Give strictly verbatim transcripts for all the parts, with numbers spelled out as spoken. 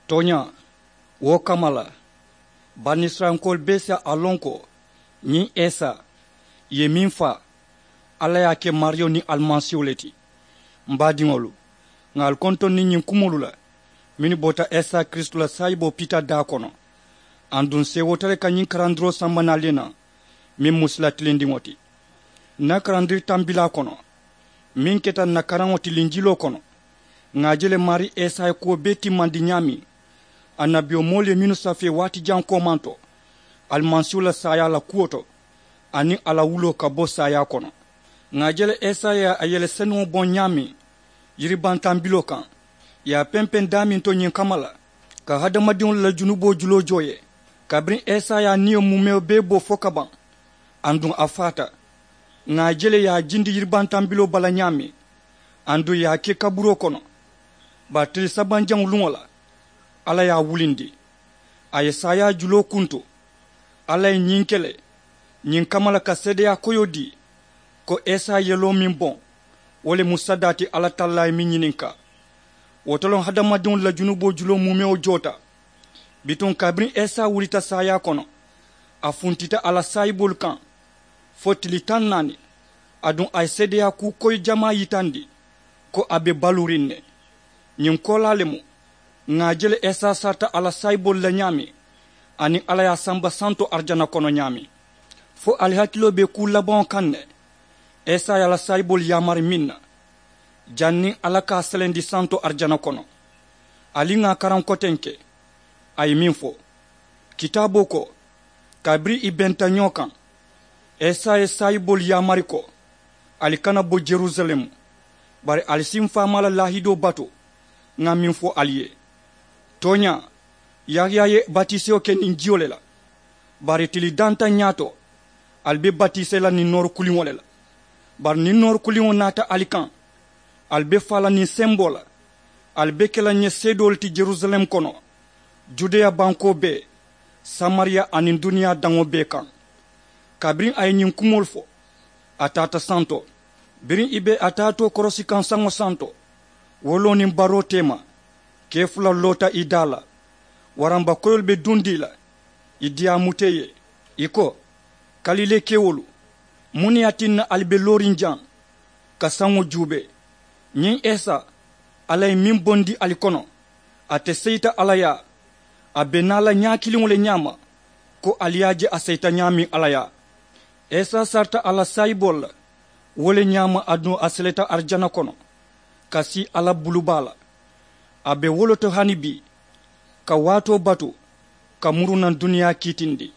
Tooñaa, wo kamma la banisirayilankoolu bee si a loŋ ko ñiŋ isa ì ye meŋ faa, alla ye a ke maariyo niŋ alimasiiwo le ti. M baadiŋolu, ŋà ali kontondi ñiŋ kumoolu la mennu bota isa kiristu la saayiboo piita daa kono. Aduŋ seewoota le ka ñiŋ karandiroo samba naali ye naa meŋ mu sila tilindiŋo ti. N na karandiri tambilaa kono meŋ keta n na karaŋo ti linjiloo kono, ŋà a je le maarii isa ye kuwo bee timmandi ñaameŋ annabiyomoolu ye mennu safee waati jaŋ koomaŋ to alimasiiwo la saayaa la kuwo to, aniŋ a la wuloo ka bo saayaa kono. Ŋà a je le isa ye a yele senuŋo boŋ ñaameŋ yiribaŋ tambiloo kaŋ, ì ye a pempeŋ daameŋ to ñiŋ kamma la ka hadamadiŋolu la junuboo juloo joo ye. Kabiriŋ isa ye a niyo muumewo bee bo fo ka baŋ, aduŋ a faata. Ŋà a je le ì ye a jindi yiribaŋ tambiloo bala ñaameŋ, aduŋ ì ye a ke kaburoo kono. Bari tili sabanjaŋo luŋo la, alla ye a wulindi. A ye saayaa juloo kuntu. Alla ye ñiŋ ke le ñiŋ kamma la ka seedeyaa koyoo dii ko isa ye yeloo meŋ boŋ, wo le mu sadaa ti alla tallaa ye meŋ ñininkaa. Wo to loŋ hadamadiŋolu la junuboo juloo muumewo joota. Bituŋ kabiriŋ isa wulita saayaa kono, a funtita a la saayiboolu kaŋ fo tili taŋ naani. Aduŋ a ye seedeyaa kuu koyi jamaa yitandi ko a be baluuriŋ ne. Ñiŋ koolaa le mu ŋà a je le isa sarita a la saayiboolu la ñaameŋ, aniŋ alla ye a samba santo arijana kono ñaameŋ. Fo ali hakiloo be kuu labaŋo kaŋ ne? Isa ye a la saayiboolu yaamari meŋ na janniŋ alla ka a selendi santo arijana kono. Ali ŋà a karaŋ kotenke. A ye meŋ fo kitaaboo ko, kabiriŋ ì benta ñoo kaŋ, isa ye saayiboolu yaamari ko, ali kana bo yerusalemu, bari ali si m faamaa la laahidoo batu. Ŋà meŋ fo ali ye, tooñaa, yahaya ye batisewo ke niŋ jiyo le la. Bari tili dantaŋ ñaato, ali be batisee la niŋ noori kuliŋo le la. Bari niŋ noori kuliŋo naata ali kaŋ, ali be faa la niŋ semboo la. Ali be ke la ǹ ye seedoolu ti yerusalem kono, judeya bankoo bee, samariya aniŋ duniyaa daŋo bee kaŋ. Kabiriŋ a ye ñiŋ kumoolu fo, a taata santo. Biriŋ ì be a taatoo korosi kaŋ saŋo santo, woloo niŋ baroo teema, kee fula loota ì daa la. Waramba koyoolu be duŋ dii la, ì diyaamuta ì ye. Ì ko, kalilee kewolu, muŋ ne ye a tinna ali be looriŋ jaŋ ka saŋo juubee? Ñiŋ esa, alla ye meŋ bondi ali kono, ate seyita alla yaa. A be naa la ñaa kiliŋo le ñaama, ko ali ye a je a seyita ñaameŋ alla yaa. Esa sarita a la saayiboolu la, wo le ñaama aduŋ a seleta arijana kono, ka sii alla bulubaa la. A be wo le to hani bii, ka waatoo batu, ka muru naŋ duniyaa kiitindi.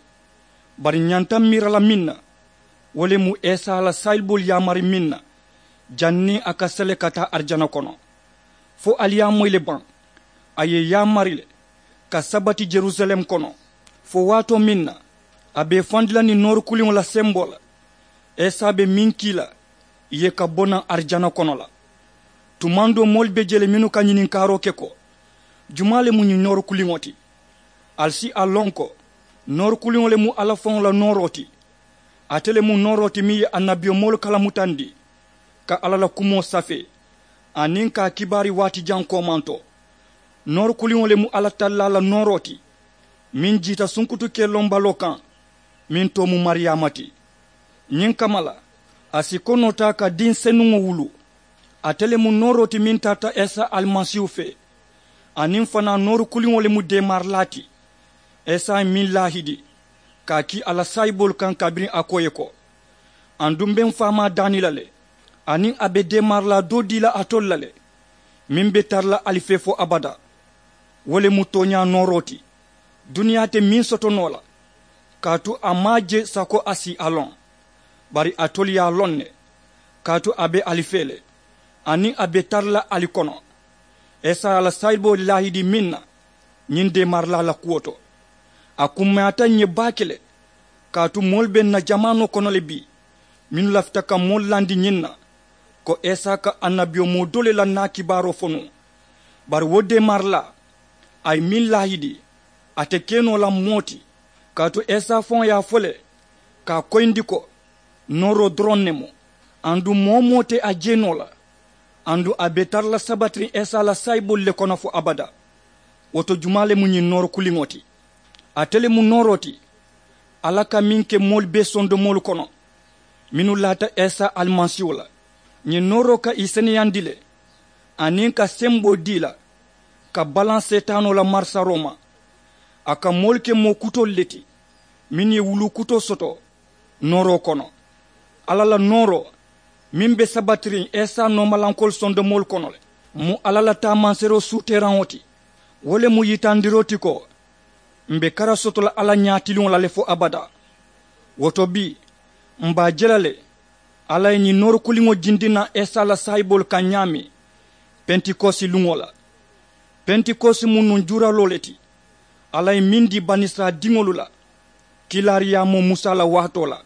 Bari ǹ ñanta miira la meŋ na, wo le mu esa la saayiboolu yaamari meŋ na, janniŋ a ka sele ka taa arijana kono. Fo ali ye a moyi le baŋ? A ye yaamari le ka sabati yerusalem kono, fo waatoo meŋ na a be i fandi la niŋ noori kuliŋo la semboo la. Esa be meŋ kii la ì ye ka bo naŋ arijana kono la. Tumaŋ doo moolu be jee le mennu ka ñininkaaroo ke ko, jumaa le mu ñiŋ noori kuliŋo ti? Ali si a loŋ ko noori kuliŋo le mu alla faŋo la nooroo ti. Ate le mu nooroo ti meŋ ye annabiyomoolu kalamutandi, ka alla la kumoo safee, aniŋ ka a kibaari waati jaŋ koomanto. Noori kuliŋo le mu alla tallaa la nooroo ti, meŋ jiita sunkutukee lombaloo kaŋ, meŋ too mu mariyaama ti. Ñiŋ kamma la, a si konoo taa ka diŋ senuŋo wuluu. Ate le mu nooroo ti meŋ tarata esa alimasiihu fee, aniŋ fanaa noori kuliŋo le mu deemaarilaa ti. Esa ye meŋ laahidi ka a kii a la saayiboolu kaŋ kabiriŋ a ko ì ye ko, aduŋ m be m faamaa daani la le, aniŋ a be deemaarilaa doo dii la alitolu la le, meŋ be tara la ali fee fo abadaa. Wo le mu tooñaa nooroo ti. Duniyaa te meŋ soto noo la, kaatu a maŋ a je sako a si a loŋ. Bari alitolu ye a loŋ ne, kaatu a be ali fee le, aniŋ a be tara la ali kono. Esa ye a la saayiboo laahidi meŋ na, ñiŋ deemaarilaa la kuwo to, a kummayaata ǹ ye baake le. Kaatu moolu be ǹ na jamaanoo kono le bii, mennu lafita ka moolu landi ñiŋ na, ko esa ka annabiyomoo doo le la naa kibaaroo fo nuŋ. Bari wo deemaarilaa, a ye meŋ laahidi, a te ke noo la moo ti. Kaatu esa faŋo ye a fo le, ka a koyindi ko, nooroo doroŋ ne mu, aduŋ moo-wo-moo te a je noo la. Aduŋ a be tara la sabatiriŋ esa la saayiboolu le kono fo abadaa. Wo to jumaa le mu ñiŋ nooro kuliŋo ti? Ate le mu nooroo ti alla ka meŋ ke moolu bee sondomoolu kono mennu laata isa alimasiiwo la. Ñiŋ nooroo ka ì seneyandi le aniŋ ka semboo dii la ka balaŋ seetaanoo la marisaroo ma. A ka moolu ke moo kutoolu le ti mennu ye wuluu kutoo soto nooroo kono. Alla la nooroo meŋ be sabatiriŋ isa noomalankoolu sondomoolu kono le mu alla la taamanseeroo suuteeraŋo ti. Wo le mu yitandiroo ti ko m̀ be kara soto la alla ñaatiliŋo la le fo abadaa. Wo to bii m̀ be a je la le alla ye ñiŋ noori kuliŋo jindi naŋ isa la saayiboolu kaŋ ñaameŋ pentikosi luŋo la. Pentikosi mu nuŋ juuraloo le ti alla ye meŋ dii banisirayila diŋolu la kiilaariyaamoo musa la waatoo la.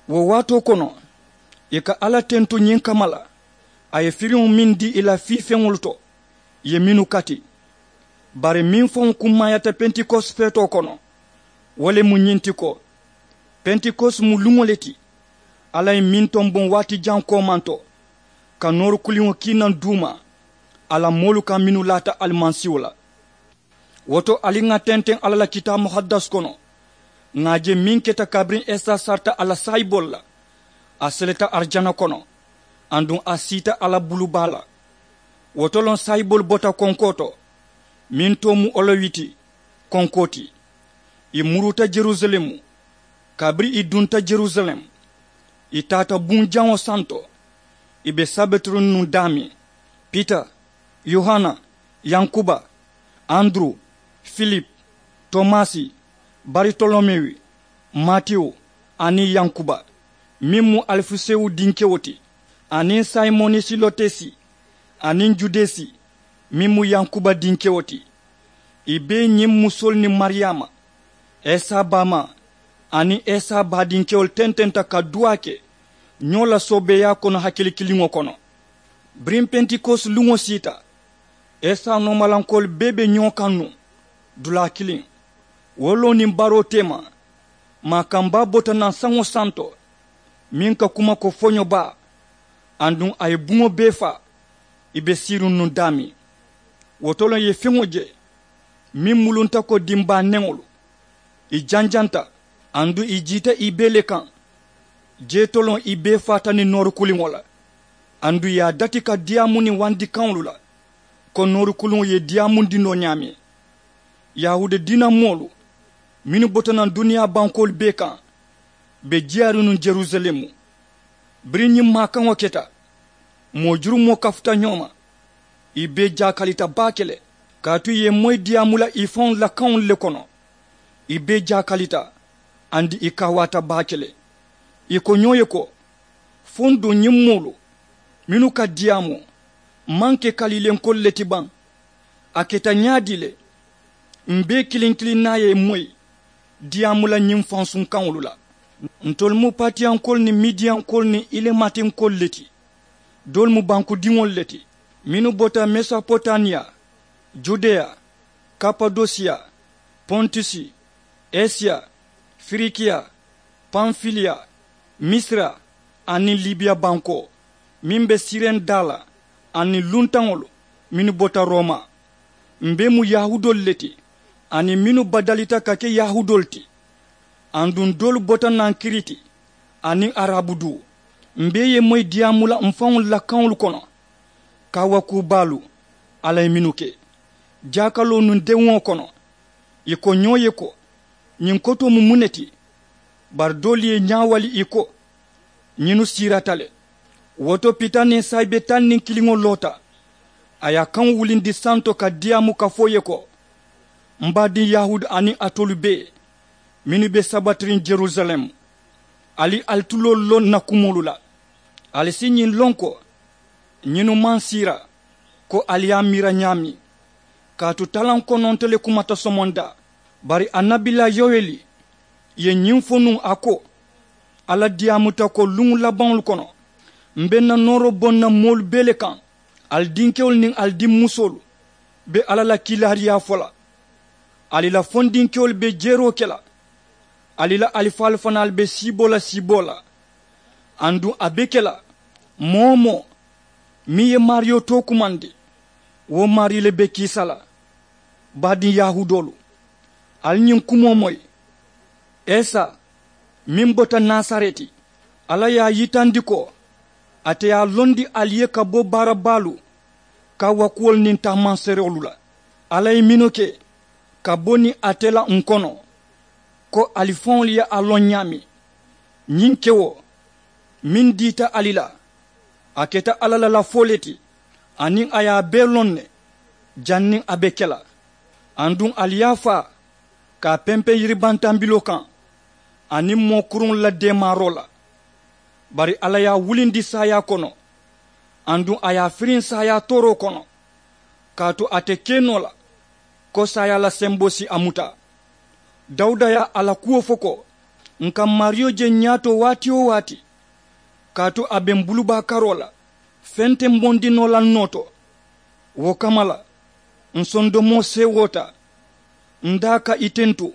Wo waatoo kono ì ka alla tentu ñiŋ kamma la a ye firiŋo meŋ dii ì la fiifeŋolu to ì ye mennu kati. Bari meŋ faŋo kummaayaata pentikosi feetoo kono wo le mu ñiŋ ti ko pentikosi mu luŋo le ti alla ye meŋ tomboŋ waati jaŋ koomanto ka noori kuliŋo kii naŋ duuma a la moolu kaŋ mennu laata alimasiiwo la. Wo to ali ŋà tenteŋ alla la kitaabu muhaddas kono ŋà a je meŋ keta kabiriŋ isa sarita a la saayiboolu la. A seleta arijana kono aduŋ a siita alla bulu baa la. Wo to loŋ saayiboolu bota konkoo to meŋ too mu olowiti konkoo ti. Ì muruuta jerusalemu. Kabiriŋ ì dunta jerusalemu ì taata buŋ jaŋo santo ì be sabitiriŋ nuŋ daameŋ pita, yohana, yankuba, anduru, filipu, tomasi, baritolomewu, matiyu, aniŋ yankuba meŋ mu alifisewu dinkewo ti, aniŋ simoni silotesi, aniŋ judesi meŋ mu yankuba dinkewo ti. Ì bee ñiŋ musoolu niŋ mariyaama, isa baamaa, aniŋ isa baadinkewolu tententa ka duwaa ke ñoo la soobeeyaa kono hakili kiliŋo kono. Biriŋ pentikosi luŋo siita isa noomalankoolu bee be ñoo kaŋ nuŋ dulaa kiliŋ. Wo loŋ niŋ baroo teema, maakambaa bota naŋ saŋo santo meŋ ka kuma ko foñobaa. Aduŋ a ye buŋo bee faa ì be siiriŋ nuŋ daameŋ. Wo to le ì ye feŋo je meŋ mulunta ko dimbaa neŋolu. Ì janjanta aduŋ ì jiita ì bee le kaŋ. Jee to loŋ ì bee faata niŋ noori kuliŋo la. Aduŋ ì ye a dati ka diyaamu niŋ wandi kaŋolu la ko noori kuliŋo ye diyaamundi noo ñaameŋ. Yahuuda diina moolu mennu bota naŋ duniyaa bankoolu bee kaŋ be jiyaariŋ nuŋ jerusalemu. Biriŋ ñiŋ maakaŋo keta moo jurumoo kafuta ñoo ma. Ì bee jaakalita baake le kaatu ì ye moyi diyaamu la ì faŋolu la kaŋolu le kono. Ì bee jaakalita aduŋ ì kaawaata baake le. Ì ko ñoo ye ko fo n duŋ ñiŋ moolu mennu ka diyaamu maŋ ke kaliilenkoolu le ti baŋ? A keta ñaadii le? M̀ bee kiliŋ kiliŋ naa ye moyi diyaamu la ñiŋ fansuŋ kaŋolu la. Ntolu mu patiyankoolu niŋ midiyankoolu niŋ ilematinkoolu le ti. Doolu mu bankudiŋolu le ti mennu bota mesopotamiya, judeya, kapadosiya, pontusi, esiya, firikiya, panfiliya, misira, aniŋ libiya bankoo meŋ be siriŋ daa la, aniŋ luntaŋolu mennu bota roma. M̀ bee mu yahuudoolu le ti aniŋ mennu badalita ka ke yahuudoolu ti. Aduŋ doolu bota naŋ kiriti aniŋ arabu duu. M̀ bee ye moyi diyaamu la m̀ faŋolu la kaŋolu kono. Kaawakuu baalu alla ye mennu ke jaakaloo nuŋ dewuŋo kono. Ì ko ñoo ye ko ñiŋ kotoo mu muŋ ne ti? Bari doolu ye ñaawali ì ko ñinnu siirata le. Wo to pita niŋ saayibe taŋ niŋ kiliŋo loota. A ye a kaŋo wulindi santo ka diyaamu ka fo ì ye ko m baadiŋ yahuudu aniŋ alitolu bee mennu be sabatiriŋ jerusalemu, ali ali tuloolu loŋ ǹ na kumoolu la. Ali si ñiŋ loŋ ko ñinnu maŋ siira ko ali ye a miira ñaameŋ. Kaatu talaŋ kononto le kumata somondaa. Bari annabilaa yoweli ye ñiŋ fo nuŋ a ko, alla diyaamuta ko luŋ labaŋolu kono m be ǹ na nooroo boŋ na moolu bee le kaŋ. Ali dinkewolu niŋ ali dimmusoolu be alla la kiilaariyaa fo la. Ali la fondinkewolu be jeeroo ke la. Ali la alifaalu fanaalu be siiboo la siiboo la. Aduŋ a be ke la moo-wo-moo meŋ ye maariyo tookumandi, wo maarii le be kiisa la. Baadiŋ yahuudoolu, ali ñiŋ kumoo moyi. Esa meŋ bota nasareti, alla ye a yitandi ko ate ye a londi ali ye ka bo baara baalu kaawakuwolu niŋ taamanseeroolu la. Alla ye mennu ke ka bo niŋ ate la ǹ kono, ko ali faŋolu ye a loŋ ñaameŋ. Ñiŋ kewo meŋ diita ali la, a keta alla la lafoo le ti, aniŋ a ye a bee loŋ ne janniŋ a be ke la. Aduŋ ali ye a faa ka a pempeŋ yiribantambiloo kaŋ aniŋ moo kuruŋolu la deemaaroo la. Bari alla ye a wulindi saayaa kono, aduŋ a ye a firiŋ saayaa tooroo kono, kaatu a te ke noo la ko saayaa la semboo si a muta. Dawuda ye a la kuwo fo ko, ǹ ka maariyo je ñaato waati-wo-waati, kaatu a be m bulubaa karoo la, feŋ te m bondi noo la n noo to. Wo kamma la, ǹ sondomoo seewoota, n daa ka i tentu,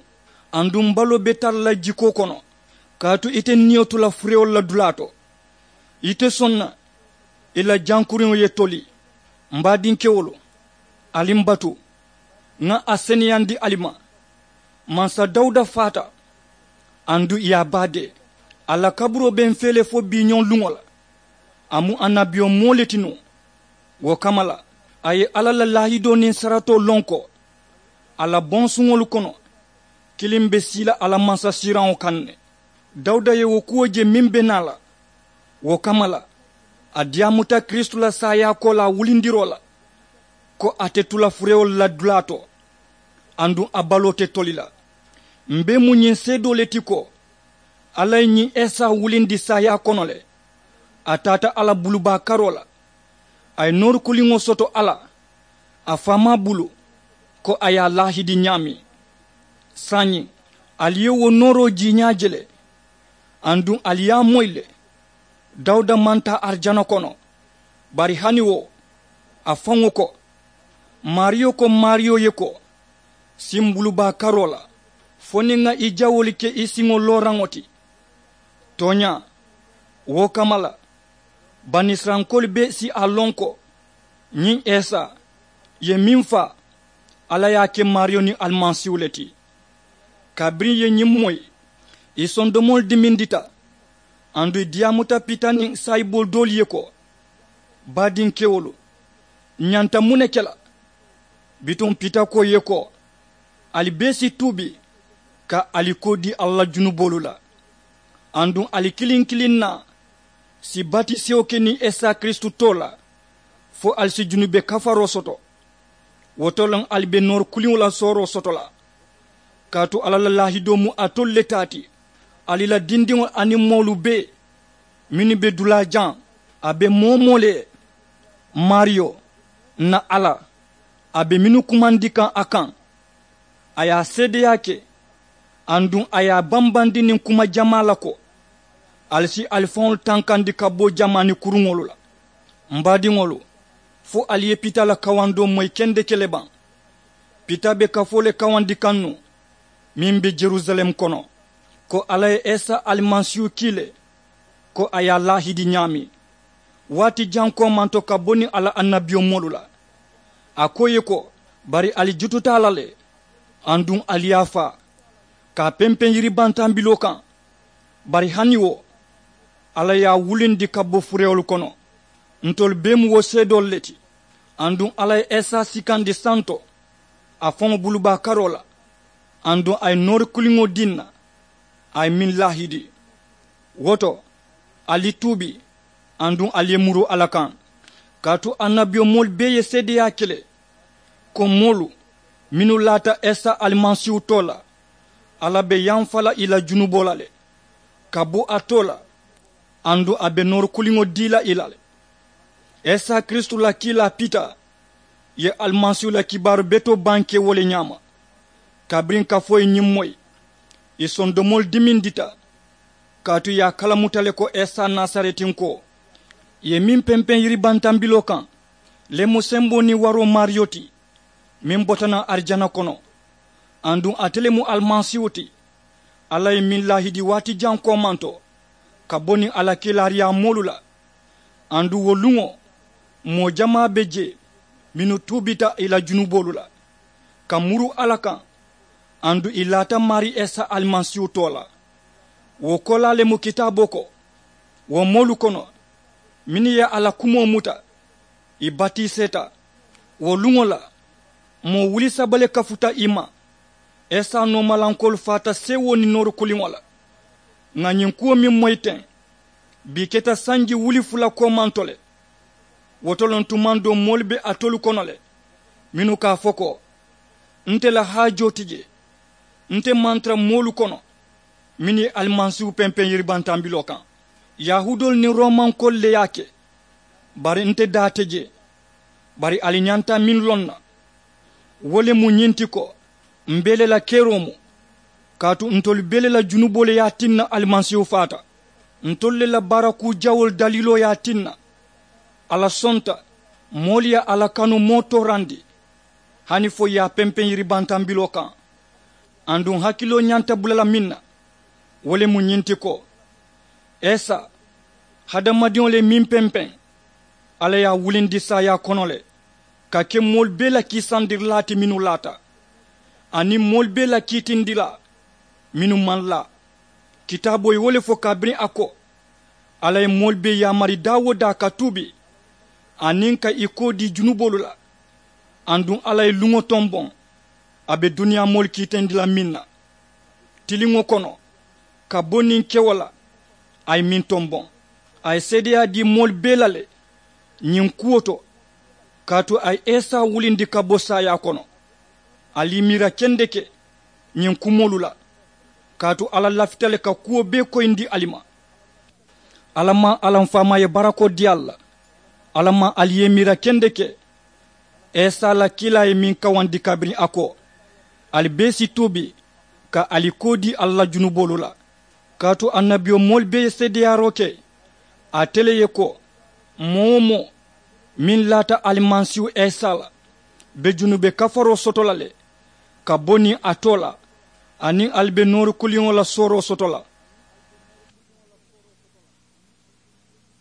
aduŋ m baloo be tara la jikoo kono, kaatu ite niyo tu la furewolu la dulaa to. Ite soŋ na i la jankuriŋo ye toli. M baadinkewolu, ali m batu, ŋa a seneyandi ali ma. Mansa dawuda faata, aduŋ i ye a baadee. A la kaburoo be m fee le fo biiñoŋ luŋo la. A mu annabiyomoo le ti nuŋ. Wo kamma la, a ye alla la laahidoo niŋ saratoo loŋ ko a la bonsuŋolu kono, kiliŋ be sii la a la mansasiiraŋo kaŋ ne. Dawuda ye wo kuwo je meŋ be naa la. Wo kamma la, a diyaamuta kiristu la saayaa koolaa wulindiroo la, ko a te tu la furewolu la dulaa to, aduŋ a baloo te toli la. M be mu ñiŋ seedoo le ti ko alla ye ñiŋ esa wulindi saayaa kono le. A taata a la bulubaa karoo la, a ye noori kuliŋo soto a la a faamaa bulu, ko a ye a laahidi ñaameŋ. Saayiŋ, ali ye wo nooroo jiiñaa je le, aduŋ ali ye a moyi le. Dawuda maŋ taa arijana kono, bari hani wo, a faŋo ko, maariyo ko maariyo ye ko, si m bulubaa karoo la, fo niŋ ŋa i jawoolu ke i siŋo looraŋo ti. Tooñaa, wo kamma la, banisirayilankoolu bee si a loŋ ko ñiŋ esa ye meŋ faa, alla ye a ke maariyo niŋ alimasiihu le ti. Kabiriŋ i ye ñiŋ moyi, i sondomoolu dimindita, aduŋ i diyaamuta pita niŋ saayiboo doolu ye ko, baadinkewolu, ǹ ñanta muŋ ne ke la? Bituŋ pita ko i ye ko, ali bee si tuubi ka ali koo dii alla la junuboolu la, aduŋ ali kiliŋ kiliŋ naa si batisewo ke niŋ esa kiristu too la, fo ali si junube kafaroo soto. Wo to le ali be noori kuliŋo la sooroo soto la, kaatu alla la laahidoo mu alitolu le taa ti. Ali la dindiŋolu aniŋ moolu bee mennu be dulaa jaŋ, a be moo-wo-moo le ye. Maariyo, ǹ na alla, a be mennu kumandi kaŋ a kaŋ, a ye a seedeyaa ke, aduŋ a ye a bambandi niŋ kuma jamaa la ko, ali si ali faŋolu tankandi ka bo jamaani kuruŋolu la. M baadiŋolu, fo ali ye pita la kawandoo moyi kendeke le baŋ? Pita be kafoo le kawandi kaŋ nuŋ, meŋ be jerusalem kono, ko alla ye esa alimasiihu kii le, ko a ye a laahidi ñaameŋ. Waati jaŋ koomanto ka bo niŋ a la annabiyomoolu la, a ko i ye ko, bari ali jututa a la le, aduŋ ali ye a faa ka a pempeŋ yiribantambiloo kaŋ. Bari hani wo, alla ye a wulindi ka bo furewolu kono. Ntolu bee mu wo seedoolu le ti. Aduŋ alla ye esa sikandi santo a faŋo bulubaa karoo la, aduŋ a ye noori kuliŋo dii ǹ na, a ye meŋ laahidi. Wo to, ali tuubi, aduŋ ali ye muru alla kaŋ. Kaatu annabiyomoolu bee ye seedeyaa ke le, ko moolu mennu laata esa alimasiihu too la, alla be yamfa la i la junuboo la le, ka bo a too la, aduŋ a be noori kuliŋo dii la i la le. Esa kiristu la kiilaa pita ye alimasiihu la kibaaru betoo bankee wo le ñaama. Kabiriŋ kafoo ye ñiŋ moyi, i sondomoolu dimindita, kaatu i ye a kalamuta le ko esa nasaretinkoo ye meŋ pempeŋ yiribantambiloo kaŋ le mu semboo niŋ waroo maariyo ti, meŋ bota naŋ arijana kono. Aduŋ ate le mu alimasiihu ti, alla ye meŋ laahidi waati jaŋ koomanto ka bo niŋ a la kiilaariyaa moolu la. Aduŋ wo luŋo, moo jamaa be jee mennu tuubita i la junuboolu la. Ka muru alla kaŋ, aduŋ ì laata maarii isa alimasiihu too la. Wo koolaa le mu kitaaboo ko, wo moolu kono mennu ye a la kumoo muta, ì batiiseeta. Wo luŋo la, moo wuli saba le kafuta ì ma. Isa noomalankoolu faata seewoo niŋ nooru kuliŋo la. Ŋà ñiŋ kuwo meŋ moyi teŋ, bii keta sanji wuli fula koomanto le. Wo to loŋ tumaŋ doo moolu be alitolu kono le, mennu ka a fo ko, nte la haajoo ti jee. Nte maŋ tara moolu kono mennu ye alimasiihu pempeŋ yiribantambiloo kaŋ. Yahuudoolu niŋ roomankoolu le ye a ke. Bari nte daa te jee. Bari ali ñanta meŋ loŋ na, wo le mu ñiŋ ti ko, m̀ bee le la keroo mu. Kaatu ntolu bee le la junuboo le ye a tinna alimasiihu faata. Ntolu le la baara kuu jawoolu daliiloo ye a tinna, alla sonta moolu ye a la kanu moo toorandi, hani fo ì ye a pempeŋ yiribantambiloo kaŋ. Aduŋ hakiloo ñanta bula la meŋ na, wo le mu ñiŋ ti ko, isa, hadamadiŋo le ye meŋ pempeŋ, alla ye a wulindi saayaa kono le, ka ke moolu bee la kiisandirilaa ti mennu laata, aniŋ moolu bee la kiitindilaa mennu maŋ laa. Kitaaboo ye wo le fo kabiriŋ a ko, alla ye moolu bee yaamari daa-wo-daa ka tuubi, aniŋ ka ì koo dii junuboolu la. Aduŋ alla ye luŋo tomboŋ, a be duniyaa moolu kiitindi la meŋ na, tiliŋo kono, ka bo niŋ kewo la, a ye meŋ tomboŋ. A ye seedeyaa dii moolu bee la le ñiŋ kuwo to, kaatu a ye isa wulindi ka bo saayaa kono. Ali ì miira kendeke ñiŋ kumoolu la, kaatu alla lafita le ka kuwo bee koyindi ali ma. Alla maŋ alla m faamaa ye barakoo dii ali la. Alla maŋ ali ye ì miira kendeke, isa la kiilaa ye meŋ kawandi kabiriŋ a ko, ali bee si tuubi, ka ali koo dii alla la junuboolu la. Kaatu annabiyomoolu bee ye seedeyaaroo ke ate le ye ko, moo-wo-moo meŋ laata alimasiihu isa la, be junube kafaroo soto la le, ka bo niŋ a too la, aniŋ ali be nooru kuliŋo la sooroo soto la.